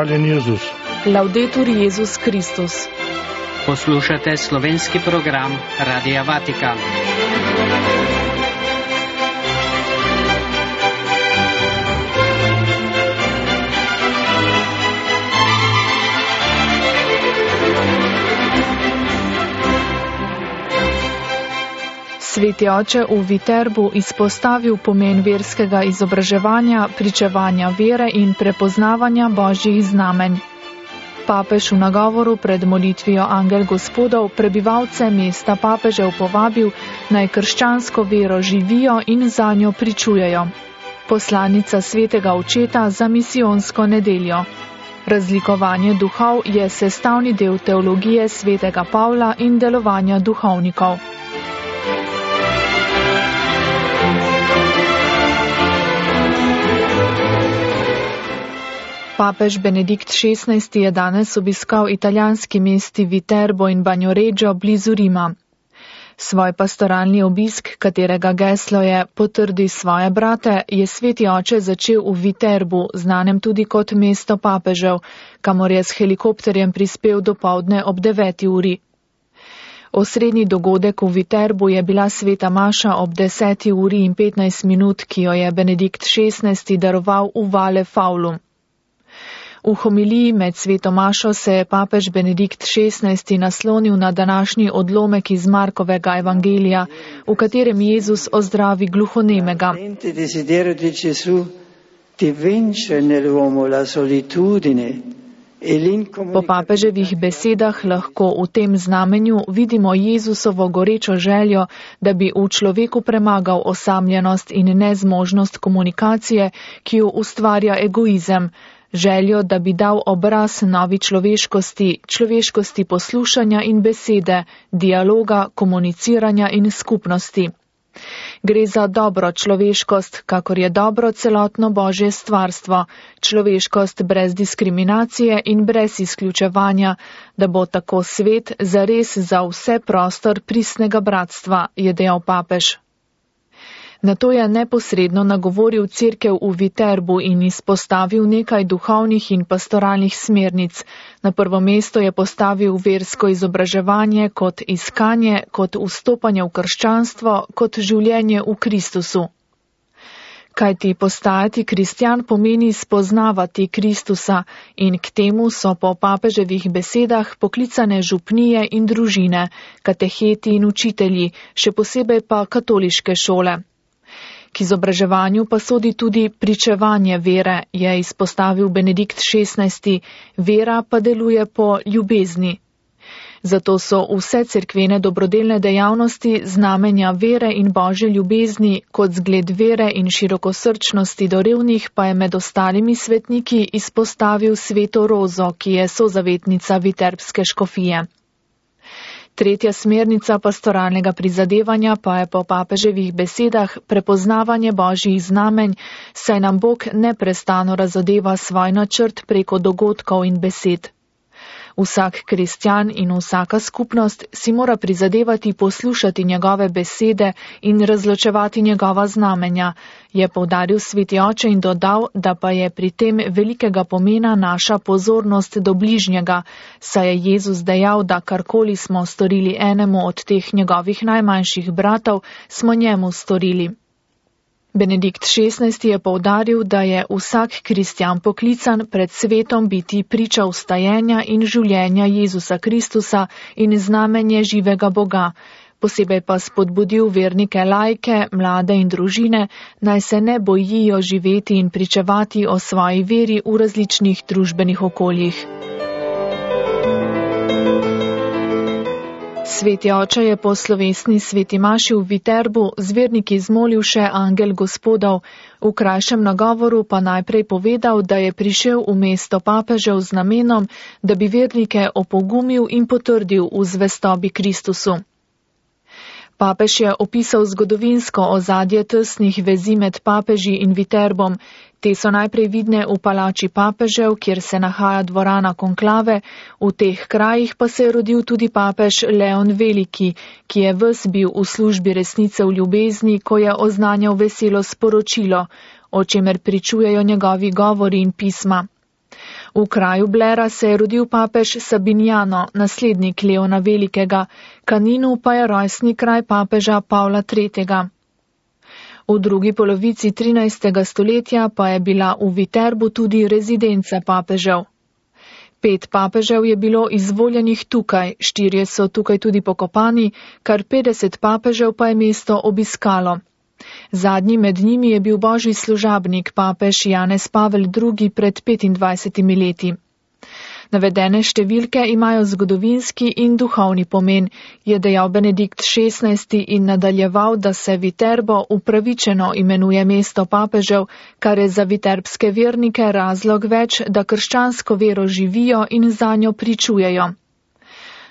Hvaljen Jezus. Laudetur Jezus Kristus. Poslušate slovenski program Radia Vatikan. Sveti oče v Viterbu izpostavil pomen verskega izobraževanja, pričevanja vere in prepoznavanja božjih znamenj. Papež v nagovoru pred molitvijo Angel Gospodov prebivalce mesta papežev povabil, naj krščansko vero živijo in zanjo pričujejo. Poslanica svetega očeta za misijonsko nedeljo. Razlikovanje duhov je sestavni del teologije svetega Pavla in delovanja duhovnikov. Papež Benedikt XVI je danes obiskal italijanski mesti Viterbo in Bagnoregio blizu Rima. Svoj pastoralni obisk, katerega geslo je Potrdi svoje brate, je sveti oče začel v Viterbu, znanem tudi kot mesto papežev, kamor je s helikopterjem prispel dopoldne ob 9. uri. Osrednji dogodek v Viterbu je bila sveta maša ob 10. uri in 15 minut, ki jo je Benedikt XVI daroval v Vale Faulum. V homiliji med sveto mašo se je papež Benedikt XVI naslonil na današnji odlomek iz Markovega evangelija, v katerem Jezus ozdravi gluhonemega. Po papeževih besedah lahko v tem znamenju vidimo Jezusovo gorečo željo, da bi v človeku premagal osamljenost in nezmožnost komunikacije, ki jo ustvarja egoizem, željo, da bi dal obraz novi človeškosti poslušanja in besede, dialoga, komuniciranja in skupnosti. Gre za dobro človeškost, kakor je dobro celotno Božje stvarstvo, človeškost brez diskriminacije in brez izključevanja, da bo tako svet zares za vse prostor pristnega bratstva, je dejal papež. Nato je neposredno nagovoril cerkev v Viterbu in izpostavil nekaj duhovnih in pastoralnih smernic. Na prvo mesto je postavil versko izobraževanje kot iskanje, kot vstopanje v krščanstvo, kot življenje v Kristusu. Kajti postajati kristjan pomeni spoznavati Kristusa in k temu so po papeževih besedah poklicane župnije in družine, kateheti in učitelji, še posebej pa katoliške šole. K izobraževanju pa sodi tudi pričevanje vere, je izpostavil Benedikt XVI, vera pa deluje po ljubezni. Zato so vse cerkvene dobrodelne dejavnosti znamenja vere in božje ljubezni, kot zgled vere in širokosrčnosti do revnih pa je med ostalimi svetniki izpostavil sveto Rozo, ki je sozavetnica viterbske škofije. Tretja smernica pastoralnega prizadevanja pa je po papeževih besedah prepoznavanje božjih znamenj, saj nam Bog neprestano razodeva svoj načrt preko dogodkov in besed. Vsak kristjan in vsaka skupnost si mora prizadevati poslušati njegove besede in razločevati njegova znamenja, je poudaril sveti oče in dodal, da pa je pri tem velikega pomena naša pozornost do bližnjega, saj je Jezus dejal, da karkoli smo storili enemu od teh njegovih najmanjših bratov, smo njemu storili. Benedikt XVI je poudaril, da je vsak kristjan poklican pred svetom biti priča vstajenja in življenja Jezusa Kristusa in znamenje živega Boga, posebej pa spodbudil vernike laike, mlade in družine, naj se ne bojijo živeti in pričevati o svoji veri v različnih družbenih okoljih. Sveti oče je po slovesni sveti maši v Viterbu z verniki zmolil še Angel Gospodov, v krajšem nagovoru pa najprej povedal, da je prišel v mesto papežev z namenom, da bi vernike opogumil in potrdil v zvestobi Kristusu. Papež je opisal zgodovinsko ozadje tesnih vezi med papeži in Viterbom. Te so najprej vidne v palači papežev, kjer se nahaja dvorana konklave, v teh krajih pa se je rodil tudi papež Leon Veliki, ki je ves bil v službi resnice v ljubezni, ko je oznanjal veselo sporočilo, o čemer pričujejo njegovi govori in pisma. V kraju Blera se je rodil papež Sabiniano, naslednik Leona Velikega, Caninu pa je rojstni kraj papeža Pavla III. V drugi polovici 13. stoletja pa je bila v Viterbu tudi rezidenca papežev. 5 papežev je bilo izvoljenih tukaj, 4 so tukaj tudi pokopani, kar 50 papežev pa je mesto obiskalo. Zadnji med njimi je bil božji služabnik, papež Janez Pavel II. Pred 25 leti. Navedene številke imajo zgodovinski in duhovni pomen, je dejal Benedikt XVI. In nadaljeval, da se Viterbo upravičeno imenuje mesto papežev, kar je za viterbske vernike razlog več, da krščansko vero živijo in zanjo pričujejo.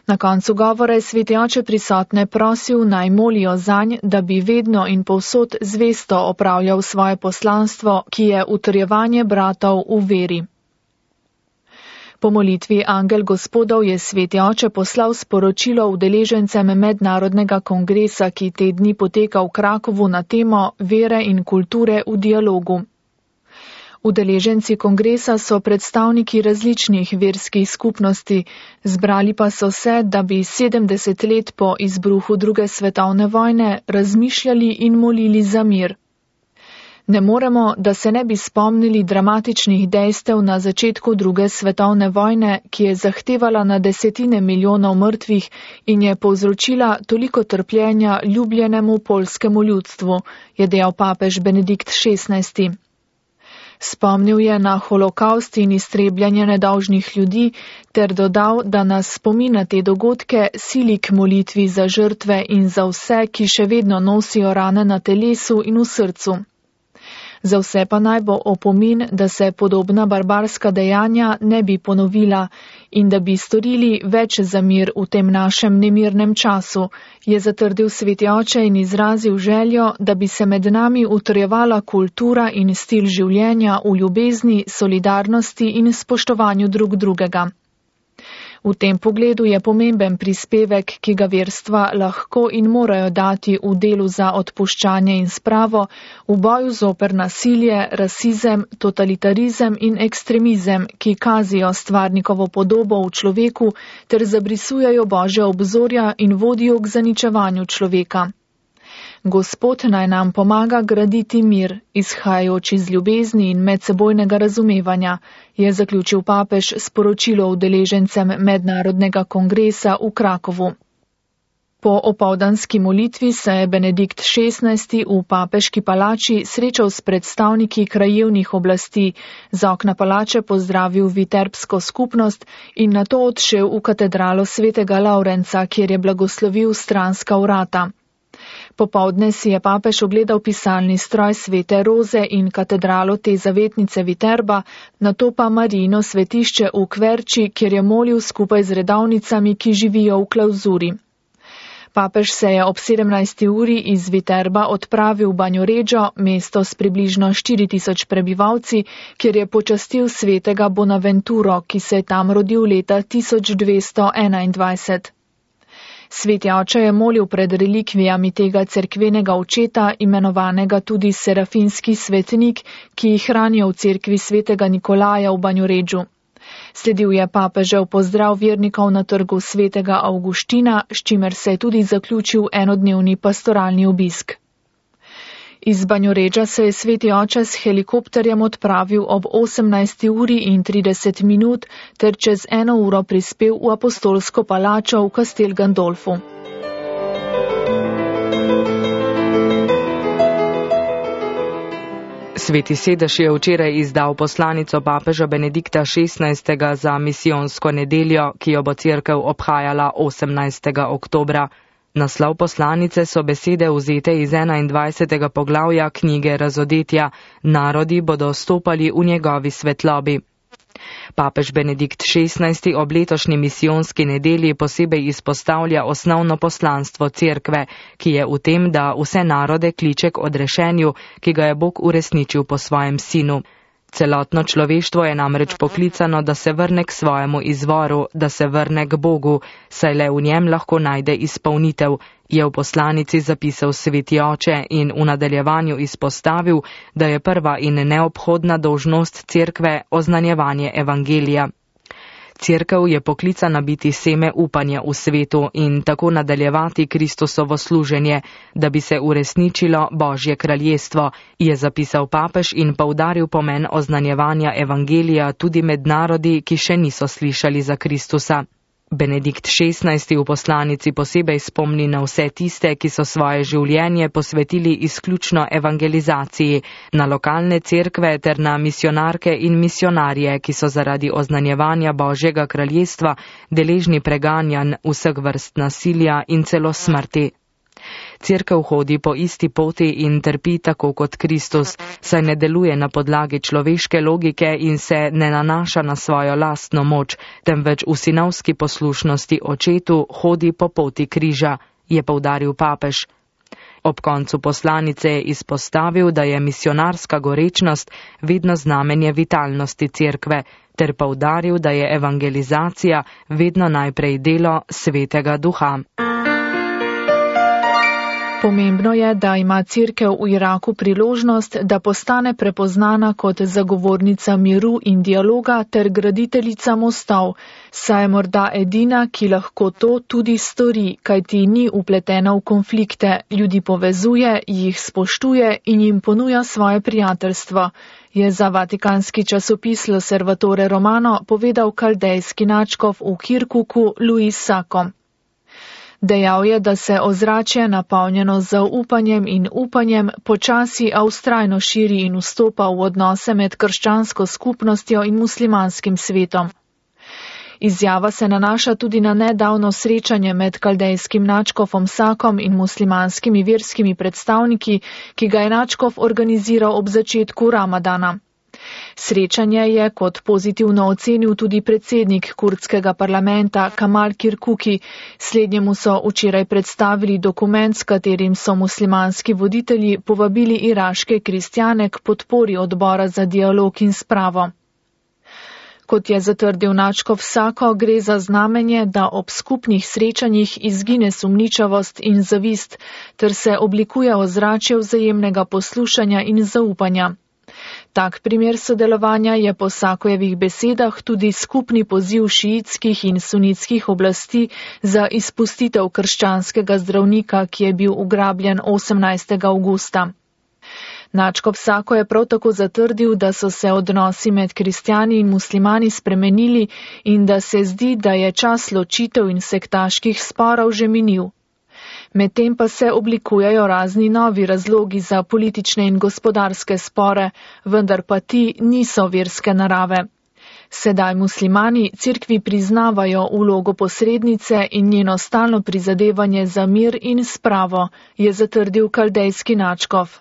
Na koncu govora je sveti oče prisotne prosil, naj molijo zanj, da bi vedno in povsod zvesto opravljal svoje poslanstvo, ki je utrjevanje bratov v veri. Po molitvi Angel Gospodov je sveti oče poslal sporočilo udeležencem mednarodnega kongresa, ki te dni poteka v Krakovu na temo vere in kulture v dialogu. Udeleženci kongresa so predstavniki različnih verskih skupnosti, zbrali pa so se, da bi 70 let po izbruhu druge svetovne vojne razmišljali in molili za mir. Ne moremo, da se ne bi spomnili dramatičnih dejstev na začetku druge svetovne vojne, ki je zahtevala na desetine milijonov mrtvih in je povzročila toliko trpljenja ljubljenemu poljskemu ljudstvu, je dejal papež Benedikt XVI. Spomnil je na holokaust in iztrebljanje nedolžnih ljudi ter dodal, da nas spomina te dogodke sili k molitvi za žrtve in za vse, ki še vedno nosijo rane na telesu in v srcu. Za vse pa naj bo opomin, da se podobna barbarska dejanja ne bi ponovila in da bi storili več za mir v tem našem nemirnem času, je zatrdil sveti oče in izrazil željo, da bi se med nami utrjevala kultura in stil življenja v ljubezni, solidarnosti in spoštovanju drug drugega. V tem pogledu je pomemben prispevek, ki ga verstva lahko in morajo dati v delu za odpuščanje in spravo, v boju zoper nasilje, rasizem, totalitarizem in ekstremizem, ki kazijo stvarnikovo podobo v človeku ter zabrisujejo božja obzorja in vodijo k zaničevanju človeka. Gospod naj nam pomaga graditi mir, izhajajoč iz ljubezni in medsebojnega razumevanja, je zaključil papež sporočilo udeležencem mednarodnega kongresa v Krakovu. Po opoldanski molitvi se je Benedikt XVI. V papeški palači srečal s predstavniki krajevnih oblasti, z okna palače pozdravil viterbsko skupnost in nato odšel v katedralo svetega Laurenca, kjer je blagoslovil stranska vrata. Popoldne si je papež ogledal pisalni stroj svete Roze in katedralo te zavetnice Viterba, nato pa Marijino svetišče v Kverči, kjer je molil skupaj z redovnicami, ki živijo v klauzuri. Papež se je ob 17. uri iz Viterba odpravil v Banjoreggio, mesto s približno 4000 prebivalci, kjer je počastil svetega Bonaventuro, ki se je tam rodil leta 1221. Sveti oče je molil pred relikvijami tega cerkvenega očeta, imenovanega tudi serafinski svetnik, ki jih hranijo v cerkvi svetega Nikolaja v Banjoreggiu. Sledil je papežev pozdrav vernikov na trgu svetega Avguština, s čimer se je tudi zaključil enodnevni pastoralni obisk. Iz Banjoreggia se je sveti oče s helikopterjem odpravil ob 18:30 ter čez 1 uro prispel v apostolsko palačo v Castel Gandolfu. Sveti sedež je včeraj izdal poslanico papeža Benedikta XVI. Za misijonsko nedeljo, ki jo bo cerkev obhajala 18. oktobra. Naslov poslanice so besede vzete iz 21. poglavja knjige Razodetja, narodi bodo stopali v njegovi svetlobi. Papež Benedikt XVI. Ob letošnji misijonski nedelji posebej izpostavlja osnovno poslanstvo cerkve, ki je v tem, da vse narode kliče k odrešenju, ki ga je Bog uresničil po svojem sinu. Celotno človeštvo je namreč poklicano, da se vrne k svojemu izvoru, da se vrne k Bogu, saj le v njem lahko najde izpolnitev, je v poslanici zapisal Sveti oče in v nadaljevanju izpostavil, da je prva in neobhodna dolžnost cerkve oznanjevanje evangelija. Cerkev je poklicana biti seme upanja v svetu in tako nadaljevati Kristusovo služenje, da bi se uresničilo Božje kraljestvo, je zapisal papež in poudaril pomen oznanjevanja evangelija tudi med narodi, ki še niso slišali za Kristusa. Benedikt XVI. V poslanici posebej spomni na vse tiste, ki so svoje življenje posvetili izključno evangelizaciji, na lokalne cerkve ter na misionarke in misionarje, ki so zaradi oznanjevanja Božjega kraljestva deležni preganjanj, vseh vrst nasilja in celo smrti. Cerkev hodi po isti poti in trpi tako kot Kristus, saj ne deluje na podlagi človeške logike in se ne nanaša na svojo lastno moč, temveč v sinovski poslušnosti očetu hodi po poti križa, je poudaril papež. Ob koncu poslanice je izpostavil, da je misionarska gorečnost vedno znamenje vitalnosti cerkve, ter poudaril, da je evangelizacija vedno najprej delo Svetega Duha. Pomembno je, da ima cerkev v Iraku priložnost, da postane prepoznana kot zagovornica miru in dialoga ter graditeljica mostov, saj je morda edina, ki lahko to tudi stori, kajti ni vpletena v konflikte, ljudi povezuje, jih spoštuje in jim ponuja svoje prijateljstvo, je za vatikanski časopis L'Osservatore Romano povedal kaldejski nadškof v Kirkuku Luis Sacco. Dejal je, da se ozračje napolnjeno z zaupanjem in upanjem počasi a vztrajno širi in vstopa v odnose med krščansko skupnostjo in muslimanskim svetom. Izjava se nanaša tudi na nedavno srečanje med kaldejskim nadškofom Sakom in muslimanskimi verskimi predstavniki, ki ga je nadškof organiziral ob začetku Ramadana. Srečanje je kot pozitivno ocenil tudi predsednik kurdskega parlamenta Kamal Kirkuki. Slednjemu so včeraj predstavili dokument, s katerim so muslimanski voditelji povabili iraške kristjane k podpori odbora za dialog in spravo. Kot je zatrdil nadškof Sako, gre za znamenje, da ob skupnih srečanjih izgine sumničavost in zavist, ter se oblikuje ozračje vzajemnega poslušanja in zaupanja. Tak primer sodelovanja je po Sakojevih besedah tudi skupni poziv šiitskih in sunitskih oblasti za izpustitev krščanskega zdravnika, ki je bil ugrabljen 18. avgusta. Nadškof Sako je prav tako zatrdil, da so se odnosi med kristjani in muslimani spremenili in da se zdi, da je čas ločitev in sektaških sporov že minil. Medtem pa se oblikujejo razni novi razlogi za politične in gospodarske spore, vendar pa ti niso verske narave. Sedaj muslimani cerkvi priznavajo vlogo posrednice in njeno stalno prizadevanje za mir in spravo, je zatrdil kaldejski nadškof.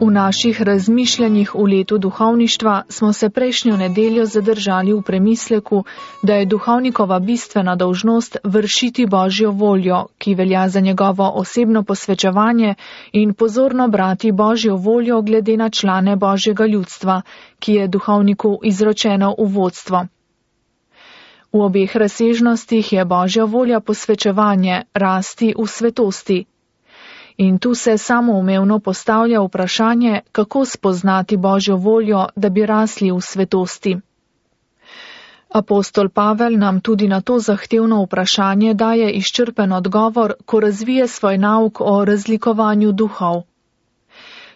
V naših razmišljanjih v letu duhovništva smo se prejšnjo nedeljo zadržali v premisleku, da je duhovnikova bistvena dolžnost vršiti Božjo voljo, ki velja za njegovo osebno posvečevanje in pozorno brati Božjo voljo glede na člane Božjega ljudstva, ki je duhovniku izročeno v vodstvo. V obeh razsežnostih je Božja volja posvečevanje, rasti v svetosti. In tu se samoumevno postavlja vprašanje, kako spoznati Božjo voljo, da bi rasli v svetosti. Apostol Pavel nam tudi na to zahtevno vprašanje daje izčrpen odgovor, ko razvije svoj nauk o razlikovanju duhov.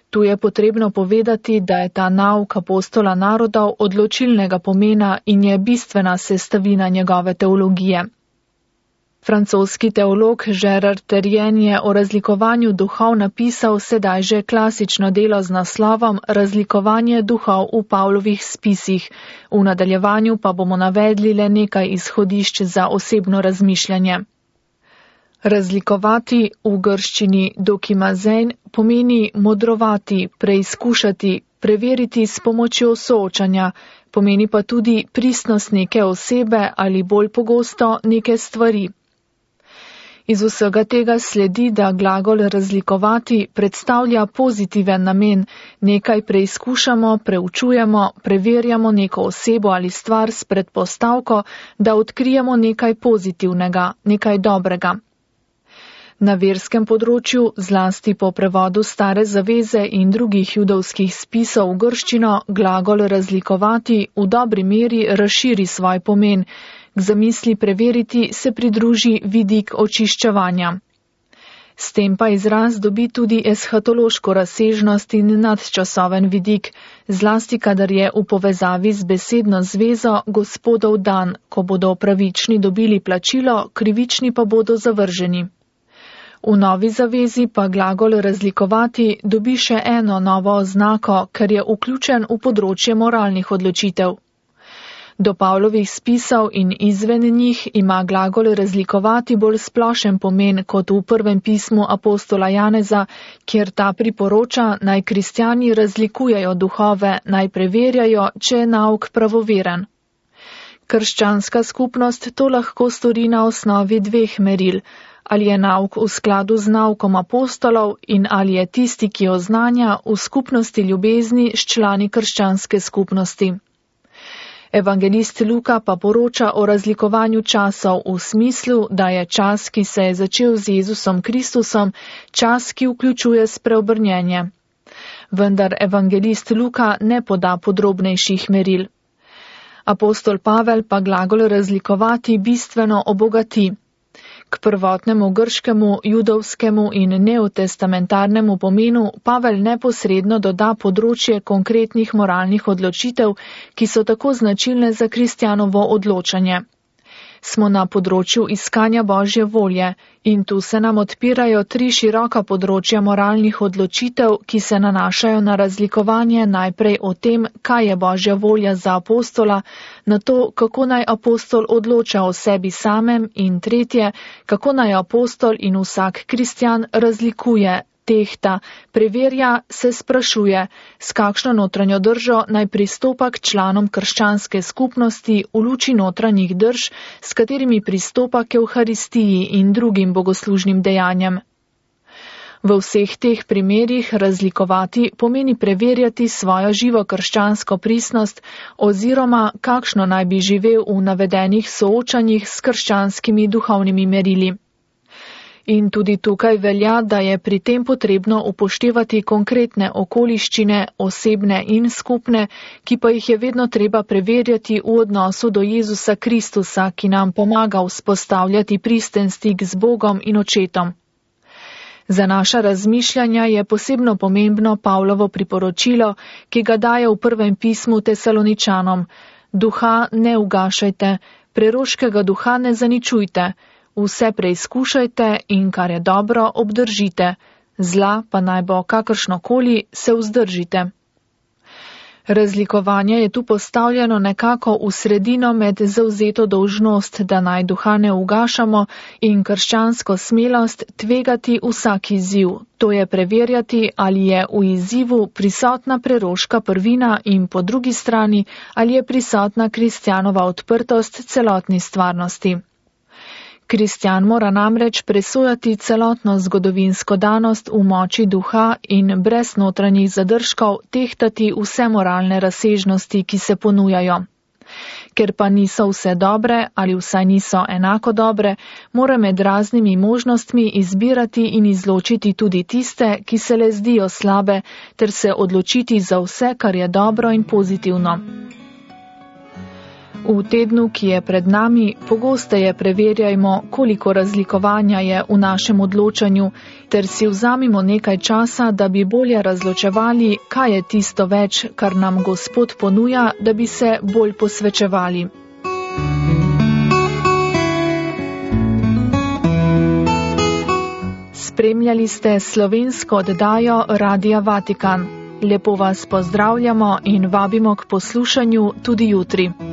Tu je potrebno povedati, da je ta nauk apostola narodov odločilnega pomena in je bistvena sestavina njegove teologije. Francoski teolog Gérard Terrien je o razlikovanju duhov napisal sedaj že klasično delo z naslovom Razlikovanje duhov v Pavlovih spisih. V nadaljevanju pa bomo navedli le nekaj izhodišč za osebno razmišljanje. Razlikovati v grščini dokimazein pomeni modrovati, preizkušati, preveriti s pomočjo soočanja, pomeni pa tudi pristnost neke osebe ali bolj pogosto neke stvari. Iz vsega tega sledi, da glagol razlikovati predstavlja pozitiven namen, nekaj preizkušamo, preučujemo, preverjamo neko osebo ali stvar s predpostavko, da odkrijemo nekaj pozitivnega, nekaj dobrega. Na verskem področju, zlasti po prevodu Stare zaveze in drugih judovskih spisov v grščino, glagol razlikovati v dobri meri razširi svoj pomen. K zamisli preveriti se pridruži vidik očiščevanja. S tem pa izraz dobi tudi eshatološko razsežnost in nadčasoven vidik, zlasti kadar je v povezavi z besedno zvezo Gospodov dan, ko bodo pravični dobili plačilo, krivični pa bodo zavrženi. V Novi zavezi pa glagol razlikovati dobi še eno novo oznako, ker je vključen v področje moralnih odločitev. Do Pavlovih spisov in izven njih ima glagol razlikovati bolj splošen pomen kot v prvem pismu apostola Janeza, kjer ta priporoča, naj kristjani razlikujejo duhove, naj preverjajo, če je nauk pravoveren. Krščanska skupnost to lahko stori na osnovi dveh meril, ali je nauk v skladu z naukom apostolov in ali je tisti, ki oznanja, v skupnosti ljubezni s člani krščanske skupnosti. Evangelist Luka pa poroča o razlikovanju časov v smislu, da je čas, ki se je začel z Jezusom Kristusom, čas, ki vključuje spreobrnjenje. Vendar evangelist Luka ne poda podrobnejših meril. Apostol Pavel pa glagol razlikovati bistveno obogati. K prvotnemu grškemu, judovskemu in neotestamentarnemu pomenu Pavel neposredno doda področje konkretnih moralnih odločitev, ki so tako značilne za kristjanovo odločanje. Smo na področju iskanja Božje volje in tu se nam odpirajo 3 široka področja moralnih odločitev, ki se nanašajo na razlikovanje najprej o tem, kaj je Božja volja za apostola, na to, kako naj apostol odloča o sebi samem in tretje, kako naj apostol in vsak kristjan razlikuje, tehta, preverja, se sprašuje, s kakšno notranjo držo naj pristopa k članom krščanske skupnosti v luči notranjih drž, s katerimi pristopa k Evharistiji in drugim bogoslužnim dejanjem. V vseh teh primerih razlikovati pomeni preverjati svojo živo krščansko pristnost oziroma kakšno naj bi živel v navedenih soočanjih s krščanskimi duhovnimi merili. In tudi tukaj velja, da je pri tem potrebno upoštevati konkretne okoliščine, osebne in skupne, ki pa jih je vedno treba preverjati v odnosu do Jezusa Kristusa, ki nam pomaga vzpostavljati pristen stik z Bogom in Očetom. Za naša razmišljanja je posebno pomembno Pavlovo priporočilo, ki ga daje v prvem pismu Tesaloničanom. Duha ne ugašajte, preroškega duha ne zaničujte, vse preizkušajte in kar je dobro, obdržite, zla pa naj bo kakršnokoli, se vzdržite. Razlikovanje je tu postavljeno nekako v sredino med zavzeto dolžnost, da naj duha ne ugašamo, in krščansko smelost tvegati vsak izziv, to je preverjati, ali je v izzivu prisotna preroška prvina in po drugi strani, ali je prisotna kristjanova odprtost celotni stvarnosti. Kristjan mora namreč presojati celotno zgodovinsko danost v moči duha in brez notranjih zadržkov tehtati vse moralne razsežnosti, ki se ponujajo. Ker pa niso vse dobre ali vsaj niso enako dobre, mora med raznimi možnostmi izbirati in izločiti tudi tiste, ki se le zdijo slabe, ter se odločiti za vse, kar je dobro in pozitivno. V tednu, ki je pred nami, pogosteje preverjajmo, koliko razlikovanja je v našem odločanju, ter si vzamimo nekaj časa, da bi bolje razločevali, kaj je tisto več, kar nam Gospod ponuja, da bi se bolj posvečevali. Spremljali ste slovensko oddajo Radia Vatikan. Lepo vas pozdravljamo in vabimo k poslušanju tudi jutri.